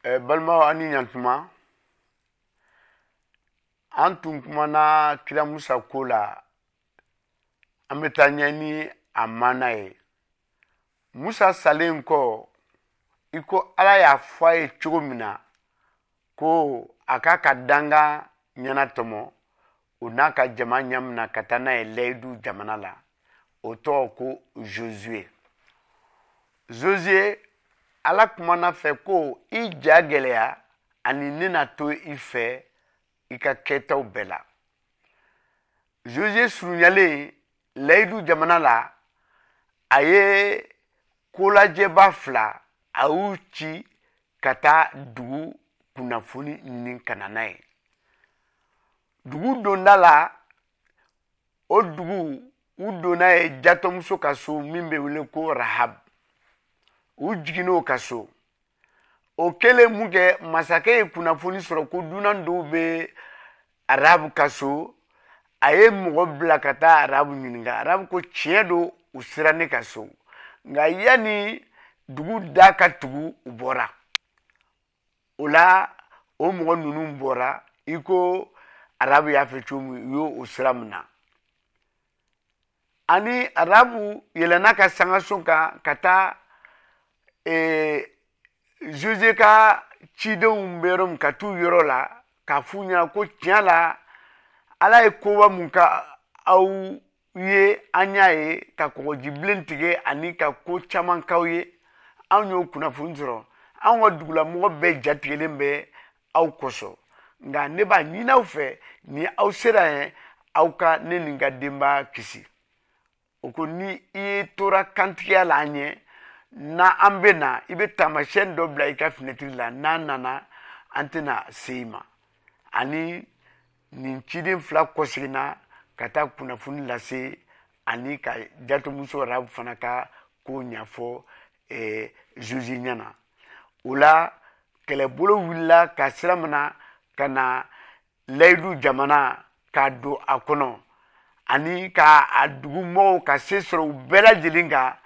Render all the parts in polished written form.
Balimaw, aw ni ɲantuma. An tun kumana kira Musa ko la, an bɛ taa ɲɛ ni a maana ye. Musa salen kɔ, i ko Ala y'a fɔ a ye cogo min na ko a k'a ka dankan ɲɛnatɔmɔ, o n'a ka jama ɲamina ka taa n'a ye layidu jamana la, o tɔgɔ ko Josue. Josue, Ala kumana fɛ ko i ja gɛlɛya ani ne na to i fɛ i ka kɛtaw bɛɛ la. Josue surunyalen layidu jamana la, a ye kolajɛba fila, a y'u ci ka taa dugu kunnafoni ɲini ka na n'a ye. Dugu donda la, o dugu u donna ye jatɔmuso ka so min bɛ wele ko Rahab. U jiginn'o ka so. O kɛlen mun kɛ, masakɛ ye kunnafoni sɔrɔ ko dunan dɔw bɛ Rahab ka so. A ye mɔgɔ bila ka taa Rahab ɲininka. Rahab ko tiɲɛ don, u sera ne ka so, nka yanni dugu da ka tugu, u bɔra. O la o mɔgɔ ninnu bɔra i ko Rahab y'a fɛ cogo min, u y'o sira minɛ. Ani Rahab yɛlɛnna ka sangaso kan ka taa Jose ka cidenw bɛ yɔrɔ min, ka t'u yɔrɔ la k'a f'u ɲɛna ko tiɲɛ la Ala ye koba mun ka aw ye, an y'a ye ka kɔgɔjibilen tigɛ ani ka ko caman k'aw ye. Anw y'o kunnafoni sɔrɔ, anw ka dugulamɔgɔ bɛɛ jatigɛlen bɛ aw kosɔn, nka ne b'a ɲini aw fɛ, ni aw sera yen, aw ka ne ni n ka denbaya kisi. O ko ni i ye tora kantigiya la an ɲɛ, n'an bɛ na, i bɛ taamasiyɛn dɔ bila i ka finɛtiri la, n'an nana an tɛna se i ma. Ani nin ciden fila kɔseginna ka taa kunnafoni lase ani ka jatɔmuso Rahab fana ka ko ɲɛfɔ Jose ɲɛna. O la kɛlɛbolo wulila ka sira mina ka na layidu jamana k'a don a kɔnɔ ani ka a dugumɔgɔw ka se sɔrɔ u bɛɛ lajɛlen kan,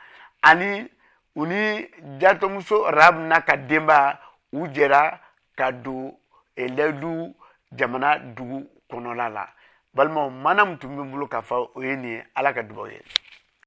ani u ni jatɔmuso Rahab n'a ka denba u jɛra ka don layidu jamana dugu kɔnɔla la. Balimaw, maana min tun bɛ n bolo k'a fɔ o ye nin ye. Ala ka dugawu ye.